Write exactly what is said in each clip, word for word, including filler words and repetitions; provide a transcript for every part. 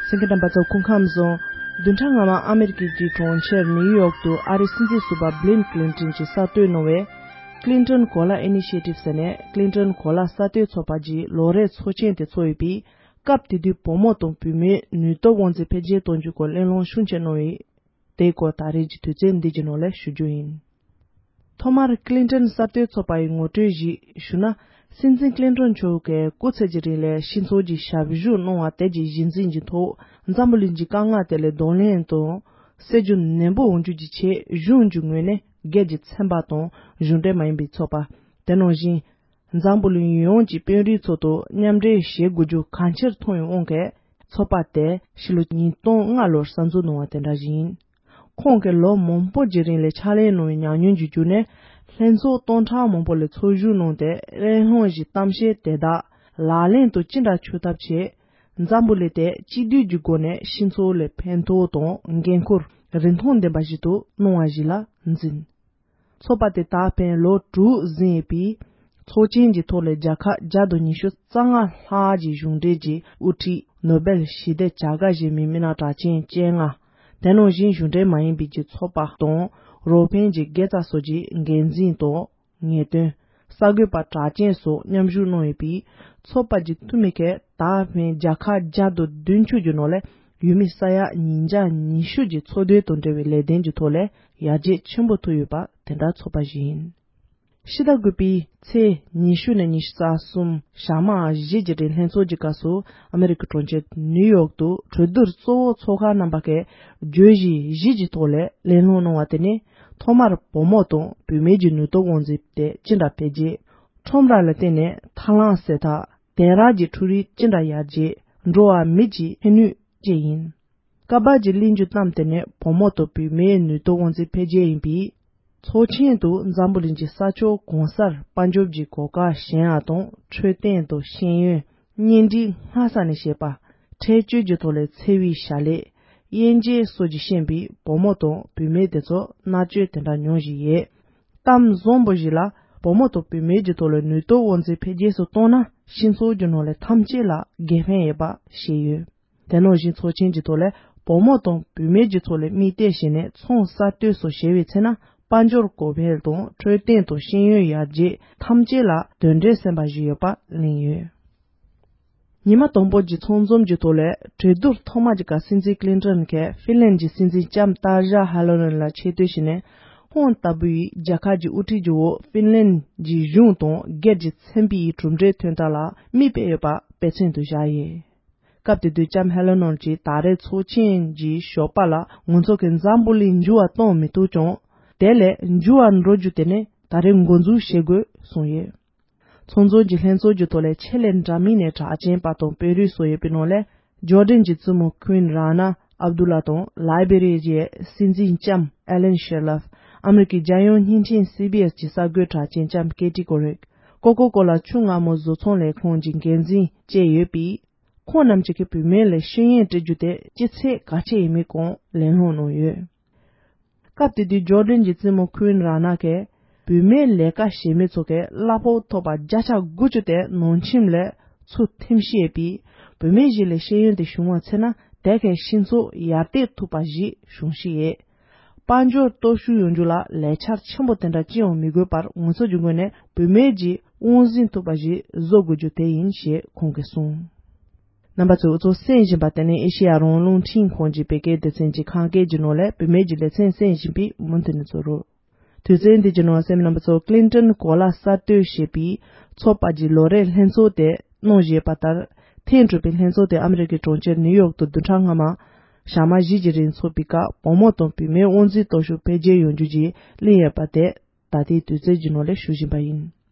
གསན་མཁན་རྣམ་པ་ཚོ་སྐུ་ཁམས་བཟང་། བདུན་ཕྲག་སྔ་མ་ཨ་མེ་རི་ཀའི་གྲོང་ཁྱེར་ནིའུ་ཡོག་ཏུ་ཨ་རིའི་སྲིད་འཛིན་ཟུར་པ་བྷིལ་ཀླིན་ཏོན་གྱིས་གསར་གཏོད་གནང་བའི་Clinton Cola Initiative ཟེར་ནས་ཀླིན་ཏོན་གོ་ལ་གསར་གཏོད་ཚོགས་པ་གྱི་ལོ་རེའི་ཚོགས་ཆེན་དེ་ཚོགས་ཡོད་པས། སྐབས་དེ་དུས་བུ་མོ་དང་བུད་མེད་ནུས་སྟོབས་དབང་འཛིན་འཕེལ་རྒྱས་གཏོང་རྒྱུའི་སྐོར་གླེང་སློང་ཤུགས་ཆེ་གནང་བས། དེའི་སྐོར་ད་རེས་ཀྱི་དུས་ཚོད་འདི་གི་ནང་ལ་ཞུ་རྒྱུ་ཡིན། ཐོག་མར་ཀླིན་ཏོན་གསར་གཏོད་ཚོགས་པ་ཡི་ངོ་སྤྲོད་ཞིག་ཞུ་ན། སྲིད་འཛིན་ཀླིན་ཏོན་མཆོག་གིས་སྐུ་ཚེ་གི་རིང་ལ་སྤྱི་ཚོགས་ཀྱི་ཞབས་ཞུ་གནང་བ་དེ་གྱི་གཞི་འཛིན་གྱི་ཐོག་འཛམ་བུ་གླིང་གི་དཀའ་ངལ་དེ་ལ་གདོང་ལེན་དང་། སེལ་རྒྱུ་ནན་པོ་འོང་རྒྱུ་གྱི་ཆེད་གཞུང་གི་ངོས་ནས་སྒེར་གྱི་ཚན་པ་དང་གཞུང་འབྲེལ་མ་ཡིན་པའི་ཚོགས་པ། དེ་ནང་བཞིན། འཛམ་བུ་གླིང་ཡོངས་ཀྱི་དཔོན་རིགས་ཚོ་དང་མཉམ་འབྲེལ་བྱེད་དགོས་རྒྱུ་གང་ཆེར་མཐོང་བའི་དབང་གིས། ཚོགས་པ་དེ་ཕྱི་ལོ་ཉིས་སྟོང་ལྔ་ལོར་གསར་འཛུགས་གནང་བ་དེ་འདྲ་ཞིག་ཡིན། ཁོང་གིས་ལོ་མང་པོ་གྱི་རིང་ལ་ཕྱག་ལས་གནང་བའི་ཉམས་མྱོང་གི་བརྒྱུད་ནས། ལྷན་ཚོགས་སྟོང་ཕྲག་མང་པོ་ལ་ཚོགས་ཞུགས་གནང་སྟེ། གླེང་སློང་གི་གཏམ་བཤད་དེ་དག་ལག་ལེན་དུ་ཅི་འདྲ་འཁྱོལ་ཐབས་བྱས། འཛམ་བུ་གླིང་དེ་གཅིག་སྡུད་ཀྱི་སྒོ་ནས་སྤྱི་ཚོགས་ལ་ཕན་ཐོགས་དང་འགན་ཁུར་རིན་ཐང་ལྡན་པ་ཞིག་ཏུ་གནང་བ་ཞིག་ལ་འཛིན། ཚོགས་པ་དེ་ད་ཕན་ལོ་དྲུག་ཟིན་ཡོད་པས། ཚོགས་ཆེན་གྱི་ཐོག་ལ་རྒྱལ་ཁབ་བརྒྱ་དང་ཉི་ཤུ་རྩ་ལྔ་ལྷག་གི་གཞུང་འབྲེལ་གྱི་དབུ་ཁྲིད་ནོ་སྦེལ་ཞི་བདེ་བྱ་དགའ་བཞེས་མི་མི་སྣ་གྲགས་ཅན་བཅོ་ལྔ། དེ་ནང་བཞིན་གཞུང་འབྲེལ་མ་ཡིན་པའི་གི་ཚོགས་པ་དང་རོགས་ཕན་གྱི་དགེ་རྩ་སོགས་ཀྱི་འགན་འཛིན་དང་། ངེས་སྟོན། གསར་འགོད་པ་གྲགས་ཅན་སོགས་མཉམ་ཞུགས་གནང་ཡོད་པས། ཚོགས་པ་གྱི་འཐུས་མི་ཁག་ད་ཕན་རྒྱལ་ཁབ་བརྒྱ་དང་བདུན་ཅུ་གྱི་ནང་ལས་ཡུལ་མི་ས་ཡ་ཉིས་བརྒྱ་ཉི་ཤུ་གྱི་འཚོ་སྡོད་དང་འབྲེལ་བའི་ལས་དོན་གྱི་ཐོག་ལས་ཡར་རྒྱས་ཆེན་པོ་ཐུབ་ཡོད་པ་དེ་འདྲ་ཚོགས་པ་ཞིག་ཡིན། ཕྱི་ཟླ་དགུ་པའི་ཚེས་ཉི་ཤུ་ནས་ཉི་ཤུ་རྩ་གསུམ་ཞག་མ་བཞི་གྱི་རིང་ལྷན་ཚོགས་ཀྱི་སྐབས་སུ་ཨ་མེ་རི་ཀའི་གྲོང་ཁྱེར་ནིའུ་ཡོག་ཏུ་གྲོས་བསྡུར་གཙོ་བོ་ཚོགས་ཁག་རྣམ་པ་ཁག་བརྗོད་གཞི་བཞི་གྱི་ཐོག་ལས་གླེང་སློང་གནང་བ་དེ་ནི། ཐོག་མར་བུ་མོ་དང་བུད་མེད་ཀྱི་ནུས་སྟོབས་དབང་འཛིན་དེ་ཅི་འདྲ་འཕེལ་རྒྱས། ཁྲོམ་ར་ལ་བརྟེན་ནས་ཐབས་ལམ་གསལ་ཐག་དེང་རབས་ཀྱི་འཕྲུལ་རིག་ཅི་འདྲ་ཡར་རྒྱས། འགྲོ་བ་མི་གཅིག་ཕན་ནུས་བཅས་ཡིན། སྐབས་བར་གྱི་གླེང་རྒྱུ་གཏམ་དེ་ནི་བུ་མོ་དང་བུད་མེད་ནུས་སྟོབས་དབང་འཛིན་འཕེལ་རྒྱས་ཡིན་པས། ཚོགས་ཆེན་དུ་འཛམ་བུ་གླིང་གི་ས་ཕྱོགས་གང་སར་དཔལ་འབྱོར་གྱི་གོ་སྐབས་གཞན་ཡང་དང་འཕྲོད་བསྟེན་དང་ཤེས་ཡོན། གཉེན་སྒྲིག་སྔ་ས་ནས་བྱེད་པ། འཕྲལ་བཅོས་ཀྱི་ཐོག་ལས་འཚེ་བའི་བྱ་ལས། དབྱེ་འབྱེད་སོགས་ཀྱི་ཤེས་པའི་བུ་མོ་དང་བུད་མེད་དེ་ཚོ་མནར་གཅོད་དེ་འདྲ་མྱོང་བཞིན་ཡོད། གཏམ་བཟང་པོ་ཞིག་ལ་བུ་མོ་དང་བུད་མེད་ཀྱི་ཐོག་ལ་ནུས་སྟོབས་དབང་འཛིན་འཕེལ་རྒྱས་སུ་གཏོང་ན་སྤྱི་ཚོགས་ཀྱི་ནང་ལས་ཐམས་ཅད་ལ་དགེ་ཕན་ཡོད་པ་ཤེས་ཡོད། དེ་ནང་བཞིན་ཚོགས་ཆེན་གྱི་ཐོག་ལས་བུ་མོ་དང་བུད་མེད་ཀྱི་ཐོག་ལས་དམིགས་གཏད་བྱས་ནས་ཚོང་གསར་གཏོད་སོགས་བྱས་པའི་ཚེ་ན་དཔལ་འབྱོར་གོང་འཕེལ་དང་འཕྲོད་བསྟེན་དང་ཤེས་ཡོན་ཡར་རྒྱས་ཐམས་ཅད་ལ་དོན་འབྲས་སོན་པ་ཞིག་ཡོད་པ་གླེང་ཡོད། ཉི་མ་དང་པོ་གྱི་ཚང་འཛོམས་ཀྱི་ཐོག་ལས་གྲོས་བསྡུར་ཐོག་མ་གྱི་སྐབས་སྲིད་འཛིན་ཀླིན་ཏོན་གྱིས་ཧྥིན་ལན་གྱི་སྲིད་འཛིན་ལྕམ་ཏཱ་ཞཱ་ཧ་ལོ་ནན་ལ་ཆེ་བསྟོད་བྱས་ནས། ཁོང་ལྟ་བུའི་རྒྱལ་ཁབ་ཀྱི་དབུ་ཁྲིད་ཀྱི་འོག་ཧྥིན་ལན་གྱི་གཞུང་དང་སྒེར་གྱི་ཚན་པའི་གྲུབ་འབྲས་ཐོན་སྟངས་ལ་མིག་དཔེ་ཡོད་པ་དཔེ་མཚོན་དུ་བཞག་ཡོད། སྐབས་དེ་དུས་ལྕམ་ཧ་ལོ་ནན་གྱིས་ད་རེས་ཚོགས་ཆེན་གྱི་ཞོགས་པ་ལ་ང་ཚོ་གིས་འཛམ་བུ་གླིང་འགྱུར་བ་གཏོང་མི་ཐུབ་ཀྱང་། དེ་ལས་འགྱུར་བ་འགྲོ་རྒྱུ་དེ་ནི་ད་རེས་འགོ་འཛུགས་བྱེད་དགོས་གསུངས་ཡོད། ཚང་འཛོམས་ཀྱི་ལྷན་ཚོགས་ཀྱི་ཐོག་ལས་ཆེད་ལས་འདྲ་མིན་ནས་གྲགས་ཅན་པ་དང་དཔོན་རིགས་སོགས་ཡོད་པའི་ནང་ལས། ཇོར་ཌན་གྱི་བཙུན་མོ་ཁུན་ར་ན་ཨབ་དུ་ལ་དང་ལའི་བེ་རི་ཡའི་སྲིད་འཛིན་ལྕམ་ཨེ་ལན་ཤེར་ལབ། ཨ་མེ་རི་ཀའི་རྒྱལ་ཡོངས་བརྙན་འཕྲིན་སི་བི་ཨེས་ཀྱི་གསར་འགོད་གྲགས་ཅན་ལྕམ་ཀེ་ཏི་ཀོ་རེག། ཀོ་ཀོ་ཀོ་ལ་ཆུ་མངར་མོ་བཟོ་ཚོང་ལས་ཁུངས་ཀྱི་འགན་འཛིན་བཅས་ཡོད་པས། ཁོང་རྣམས་ཀྱིས་བུད་མེད་ལ་ཤེས་ཡོན་སྤྲད་རྒྱུ་དེ་ཅི་ཚད་གལ་ཆེ་ཡིན་མིན་སྐོར་གླེང་སློང་གནང་ཡོད། སྐབས་དེ་དུས་ཇོར་ཌན་གྱི་བཙུན་མོ་ཁུན་ར་ན་གིས་བུད་མེད་ལས་ཀ་བྱེད་མི་ཚོ་གིས་གླ་ཕོགས་ཐོབ་པ་བརྒྱ་ཆ་དགུ་བཅུ་དེ་ནང་ཁྱིམ་ལས་ཚུར་འཐེན་བཞིན་ཡོད་པས། བུད་མེད་ཞིག་ལ་ཤེས་ཡོན་དེ་བྱུང་བ་ཚེ་ན་དེ་གས་སྤྱི་ཚོགས་ཡར་བལྟས་ཐུབ་པ་ཞིག་བྱུང་བཞིན་ཡོད། དཔལ་འབྱོར་སྟོབས་ཤུགས་ཡོང་རྒྱུ་ལ་ལས་འཆར་ཆེན་པོ་དེ་འདྲ་ཅི་ཡང་མི་དགོས་པར་ང་ཚོ་གི་ངོས་ནས་བུད་མེད་ཀྱིས་དབང་འཛིན་ཐུབ་པ་ཞིག་བཟོ་དགོས་རྒྱུ་དེ་ཡིན་ཞེས་ཁོང་གིས་གསུངས། རྣམ་པ་ཚོས་འུ་ཚོ་གསན་བཞིན་པ་དེ་ནི་ཨེ་ཤེ་ཡ་རང་དབང་རླུང་འཕྲིན་ཁང་གི་བོད་སྐད་སྡེ་ཚན་གྱི་ཁམས་སྐད་ཀྱི་ནང་ལས་བུད་མེད་ཀྱི་ལེ་ཚན་གསན་བཞིན་པའི་མུ་མཐུད་ནས་ཚོ་རུ། དུས་ཚོད་འདི་ཀྱི་ནང་གསན་མི་རྣམ་པ་ཚོ་ཀླིན་ཏོན་གོ་ལ་གསར་གཏོད་ཞེས་པའི་ཚོགས་པ་གྱི་ལོ་རེའི་ལྷན་ཚོགས་དེ་གནང་བཞིན་པ་ལྟར། ཐེངས་དྲུག་པའི་ལྷན་ཚོགས་དེ་ཨ་མེ་རི་ཀའི་གྲོང་ཁྱེར་ནིའུ་ཡོག་ཏུ་བདུན་ཕྲག་སྔ་མ། ཞག་མ་བཞི་གྱི་རིང་ཚོགས་པའི་སྐབས་བུ་མོ་དང་བུད་མེད་དབང་འཛིན་སྟོབས་ཤུགས་འཕེལ་རྒྱས་ཡོང་རྒྱུ་གྱི་གླེང་ཡོད་པ་དེ། ད་ལྟའི་དུས་ཚོད་ཀྱི་ནང་ལས་ཞུ་བཞིན་པ་ཡིན།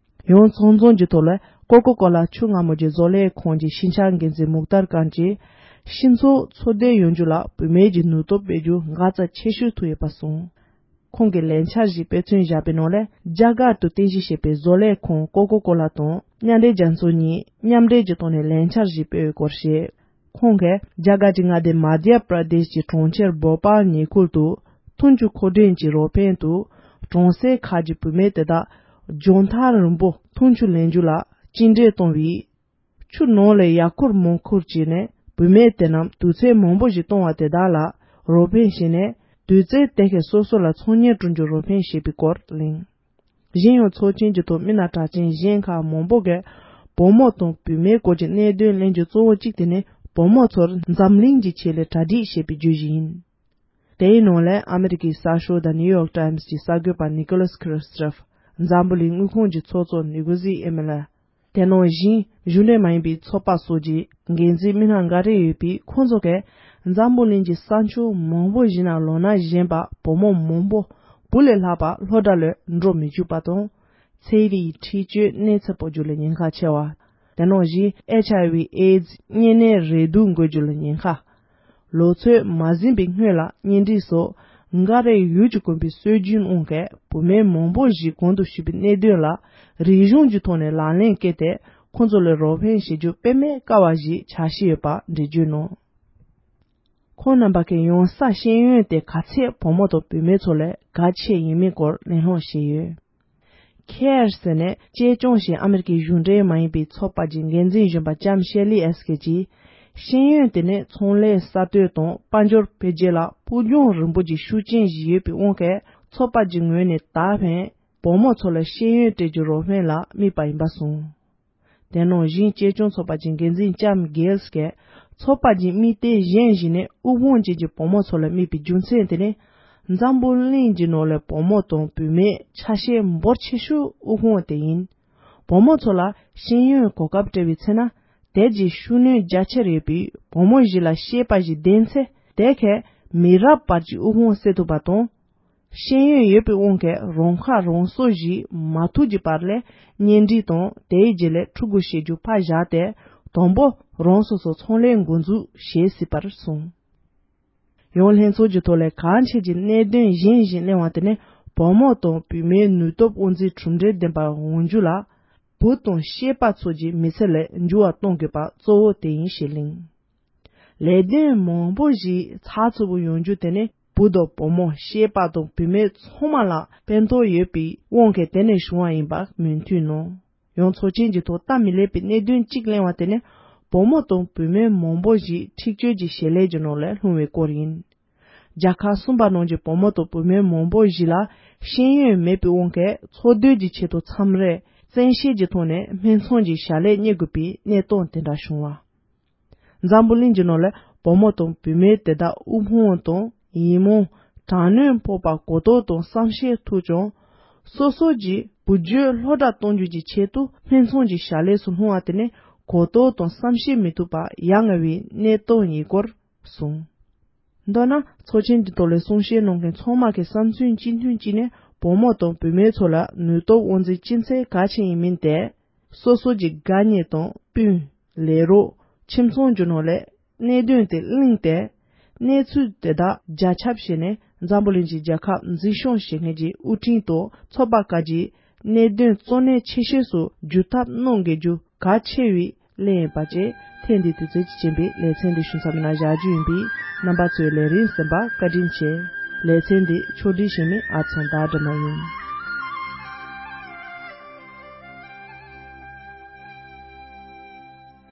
ཡང་ཚོགས་འཛོམས་ཀྱི་ཐོག་ལ་ཀོ་ཀོ་ཀོ་ལ་ཆུ་མངར་མོ་གྱི་བཟོ་ལས་ཁང་གི་ཤིང་ཆ་འགན་འཛིན་མུག་ཏར་ཀཱན་གྱིས། སྤྱི་ཚོགས་འཚོ་སྡོད་ཡོང་རྒྱུ་ལ་བུད་མེད་ཀྱི་ནུས་སྟོབས་སྤེལ་རྒྱུ་འགག་རྩ་ཆེ་ཤོས་ཐུག་ཡོད་པ་གསུངས། ཁོང་གིས་ལས་འཆར་ཞིག་དཔེ་མཚོན་བཞག་པའི་ནང་ལས། རྒྱ་གར་དུ་རྟེན་གཞི་བྱས་པའི་བཟོ་ལས་ཁང་ཀོ་ཀོ་ཀོ་ལ་དང་མཉམ་འབྲེལ་རྒྱལ་ཚོགས་གཉིས་མཉམ་འབྲེལ་གྱི་ཐོག་ནས་ལས་འཆར་ཞིག་སྤེལ་བའི་སྐོར་བཤད། ཁོང་གིས་རྒྱ་གར་གྱི་མངའ་སྡེ་མ་དྷྱ་པྲ་དེཤ་གྱི་གྲོང་ཁྱེར་བྷོ་པཱལ་ཉེ་ཁུལ་དུ་འཐུང་ཆུ་མཁོ་འདོན་གྱི་རོགས་ཕན་དུ་གྲོང་གསེབ་ཁག་གི་བུད་མེད་དེ་དག་རྒྱང་ཐག་རིང་པོ་འཐུང་ཆུ་ལེན་རྒྱུ་ལ་གཅིག་འདྲེས་གཏོང་བའི་ཆུ་ནང་ལ་ཡར་འཁུར་མར་འཁུར་བྱས་ནས་ བུད་མེད་དེ་རྣམས་དུས་ཚོད་མང་པོ་ཞིག་གཏོང་བ་དེ་དག་ལ་རོགས་ཕན་བྱས་ནས། དུས་ཚོད་དེ་གའི་སོ་སོ་ལ་ཚོང་གཉེར་བསྐྲུན་རྒྱུར་རོགས་ཕན་བྱེད་པའི་སྐོར་གླེང་། གཞན་ཡང་ཚོགས་ཆེན་གྱི་ཐོག་མི་སྣ་གྲགས་ཅན་གཞན་ཁག་མང་པོ་གིས་བུ་མོ་དང་བུད་མེད་སྐོར་གྱི་གནད་དོན་གླེང་རྒྱུ་གཙོ་བོ་གཅིག་དེ་ནི་བུ་མོ་ཚོར་འཛམ་གླིང་གི་ཆེད་ལས་གྲ་སྒྲིག་བྱེད་པའི་བརྗོད་གཞི་ཡིན། དེའི་ནང་ལས་ཨ་མེ་རི་ཀའི་གསར་ཤོག་The New York Times་གྱི་གསར་འགོད་པ་ནི་ཀོ་ལཱས་ཁི་རི་སི་ཏོ་ཕར། འཛམ་བུ་གླིང་དངུལ་ཁང་གི་ཚོགས་གཙོ་ནི་གོ་ཟི་ཨེ་མེ་ལ། དེ་ནང་བཞིན་གཞུང་འབྲེལ་མ་ཡིན་པའི་ཚོགས་པ་སོགས་ཀྱི་འགན་འཛིན་མི་སྣ་འགའ་རེ་ཡོད་པས། ཁོང་ཚོ་གིས་འཛམ་བུ་གླིང་གི་ས་ཕྱོགས་མང་པོ་ཞིག་ནང་ལོ་ན་གཞོན་པ་བུ་མོ་མང་པོ་བུ་ལས་ལྷག་པ་སློབ་གྲྭ་ལ་འགྲོ་མི་བཅུག་པ་དང་། ཚན་རིག་འཁྲིག་སྤྱོད་གནས་ཚད་སྤོ་རྒྱུ་ལ་ཉེན་ཁ་ཆེ་བ། དེ་ནང་བཞིན་ཨེཆ་ཨའི་ཝི་ཨེ་ཛི་གཉན་ནད་རེག་དུག་འགོས་རྒྱུ་ལ་ཉེན་ཁ། ལོ་ཚོད་མ་ཟིན་པའི་སྔོན་ལ་གཉེན་སྒྲིག་སོགས་འགའ་རེ་ཡུལ་གྱི་དགོན་པའི་སྲོལ་རྒྱུན་དབང་གིས་བུད་མེད་མང་པོ་ཞིག་གོང་དུ་ཞུས་པའི་གནད་དོན་ལ་རིག་གཞུང་གི་ཐོག་ནས་ལག་ལེན་བཀལ་ཏེ། ཁོང་ཚོ་ལ་རོགས་ཕན་བྱེད་རྒྱུ་དཔེ་མེད་དཀའ་བ་ཞིག་ཆགས་བཞིན་ཡོད་པ་འགྲེལ་བརྗོད་གནང་། ཁོང་རྣམ་པ་གིས་ཡང་སེ་ཤེས་ཡོན་དེ་ག་ཚད་བུ་མོ་དང་བུད་མེད་ཚོ་ལས་གལ་ཆེ་ཡིན་མིན་སྐོར་གླེང་སློང་བྱས་ཡོད། ཁེར་ཟེར་ནས་གཅེས་སྐྱོང་བྱེད་ཨ་མེ་རི་ཀའི་གཞུང་འབྲེལ་མ་ཡིན་པའི་ཚོགས་པ་གྱི་འགན་འཛིན་གཞོན་པ་ལྕམ་ཤེ་ལི་ཨེ་སི་ཀེ་གྱིས། ཤེས་ཡོན་དེ་ནི་ཚོང་ལས་གསར་གཏོད་དང་དཔལ་འབྱོར་འཕེལ་རྒྱས་ལ་ཕུགས་རྒྱང་རིང་པོ་གྱི་ཤུགས་རྐྱེན་ཞིག་ཡོད་པའི་དབང་གིས། ཚོགས་པ་གྱི་ངོས་ནས་ད་ཕན་བུ་མོ་ཚོ་ལ་ཤེས་ཡོན་སྤྲད་རྒྱུ་རོགས་ཕན་ལ་དམིགས་པ་ཡིན་པ་གསུངས། དེ་ནང་བཞིན་གཅེས་སྐྱོང་ཚོགས་པ་གྱི་འགན་འཛིན་ལྕམ་གྷེལ་གྱིས། ཚོགས་པ་གྱི་དམིགས་གཏད་གཞན་ཞིག་ནི་དབུལ་ཕོངས་ཅན་གྱི་བུ་མོ་ཚོ་ལ་དམིགས་པའི་རྒྱུ་མཚན་དེ་ནི། འཛམ་བུ་གླིང་གི་ནང་ལ་བུ་མོ་དང་བུད་མེད་ཆ་ཤས་འབོར་ཆེ་ཤོས་དབུལ་ཕོངས་དེ་ཡིན། བུ་མོ་ཚོ་ལ་ཤེས་ཡོན་གོ་སྐབས་སྤྲད་པའི་ཚེ་ན། དེ་གྱི་ཤུགས་སྣོན་རྒྱ་ཆེར་ཡོད་པས། བུ་མོ་ཞིག་ལ་ཤེས་པ་ཞིག་ལྡན་ཚེ། དེ་གས་མི་རབས་བར་གྱི་དབུལ་ཕོངས་སེལ་ཐུབ་པ་དང་། ཤེས་ཡོན་ཡོད་པའི་དབང་གིས་རང་ཁ་རང་གསོ་ཞིག་མ་ཐུབ་ཀྱི་བར་ལ། གཉེན་སྒྲིག་དང་དེའི་རྗེས་ལ་ཕྲུ་གུ་བྱེད་རྒྱུ་ཕར་བཞག་སྟེ། དང་པོ་རང་སོ་སོ་ཚོང་ལས་འགོ་འཛུགས་བྱེད་སྲིད་པར་གསུངས། ཡང་ལྷན་ཚོགས་ཀྱི་ཐོག་ལ་གལ་ཆེ་གྱི་གནད་དོན་གཞན་ཞིག་གླེང་བ་དེ་ནི། བུ་མོ་དང་བུད་མེད་ནུས་སྟོབས་དབང་འཛིན་གྲུབ་འབྲས་ལྡན་པ་འོང་རྒྱུ་ལ། བུ་དང་སྐྱེས་པ་ཚོ་གྱི་མི་ཚེ་ལ་འགྱུར་བ་གཏོང་དགོས་པ་གཙོ་བོ་དེ་ཡིན་ཞེས་གླེང་། ལས་དོན་མང་པོ་ཞིག་ཚགས་ཚུད་པོ་ཡོང་རྒྱུ་དེ་ནི་བུ་དང་བུ་མོ་སྐྱེས་པ་དང་བུད་མེད་ཚང་མ་ལ་ཕན་ཐོགས་ཡོད་པའི་དབང་གིས་དེ་ནས་བྱུང་བ་ཡིན་པ་མོས་མཐུན་གནང་། ཡང་ཚོགས་ཆེན་གྱི་ཐོག་སྟབས་མི་ལེགས་པའི་གནད་དོན་གཅིག་གླེང་བ་དེ་ནི་བུ་མོ་དང་བུད་མེད་མང་པོ་ཞིག་འཁྲིག་སྤྱོད་ཀྱི་བྱེད་ལས་ཀྱི་ནང་ལ་ལྷུང་བའི་སྐོར་ཡིན། རྒྱལ་ཁབ་གསུམ་པ་ནང་གི་བུ་མོ་དང་བུད་མེད་མང་པོ་ཞིག་ལ་ཤེས་ཡོན་མེད་པའི་དབང་གིས་འཚོ་སྡོད་ཀྱི་ཆེད་དུ་མཚམས་རེ་བཙན་ཤེད་ཀྱི་ཐོག་ནས་སྨད་འཚོང་གི་བྱ་ལས་གཉེར་དགོས་པའི་གནས་སྟངས་དེ་འདྲ་བྱུང་བ། འཛམ་བུ་གླིང་གི་ནང་ལ་བུ་མོ་དང་བུད་མེད་དེ་དག་དབུལ་ཕོངས་དང་ཡིད་མུག་དྲག་གནོན་ཕོག་པ་གོ་རྟོགས་དང་བསམ་ཤེས་ཐུབ་ཀྱང་། སོ་སོ་གྱི་བུ་རྒྱུད་སློབ་གྲྭ་གཏོང་རྒྱུ་གྱི་ཆེད་དུ་སྨད་འཚོང་གི་བྱ་ལས་སུ་ལྷུང་བ་དེ་ནི་གོ་རྟོགས་དང་བསམ་ཤེས་མི་ཐུབ་པ་ཡ་ང་བའི་གནས་སྟངས་ཡིན་སྐོར་གསུངས། མདོར་ན་ཚོགས་ཆེན་གྱི་ཐོག་ལ་གསུང་བཤད་གནང་མཁན་ཚང་མ་གི་བསམ་ཚུལ་གཅིག་མཐུན་གཅིག་ནི་བུ་མོ་དང་བུད་མེད་ཚོ་ལ་ནུས་སྟོབས་དབང་འཛིན་ཅི་ཚད་གལ་ཆེན་ཡིན་མིན་དེ། སོ་སོ་གྱི་དགའ་ཉེ་དང་སྤུན། ལས་རོགས། ཁྱིམ་ཚང་རྒྱུ་ནོར་ལས་གནད་དོན་དེ་གླེང་སྟེ། གནས་ཚུལ་དེ་དག་རྒྱ་ཁྱབ་བྱས་ནས་འཛམ་བུ་གླིང་གི་རྒྱལ་ཁབ་འཛིན་སྐྱོང་བྱེད་མཁན་གྱི་དབུ་ཁྲིད་དང་ཚོགས་པ་ཁག་གིས་གནད་དོན་གཙོ་གནད་ཆེ་ཤོས་སུ་འགྱུར་ཐབས་གནང་དགོས་རྒྱུ་གལ་ཆེ་བའི་གླེང་ཡོད་པ་བཅས། ཐེངས་འདིའི་དུས་ཚོད་ཀྱིས་རྐྱེན་པས་ལེ་ཚན་འདི་ཞུ་མཚམས་ནང་བཞག་རྒྱུ་ཡིན་པས། རྣམ་པ་ཚོས་ལས་རིམ་གསན་པར་བཀའ་དྲིན་ཆེ། ལེ་ཚན་འདི་ཕྱོགས་སྒྲིག་བྱེད་མི་ཨ་ཚང་ཟླ་སྒྲོལ་མ་ཡིན།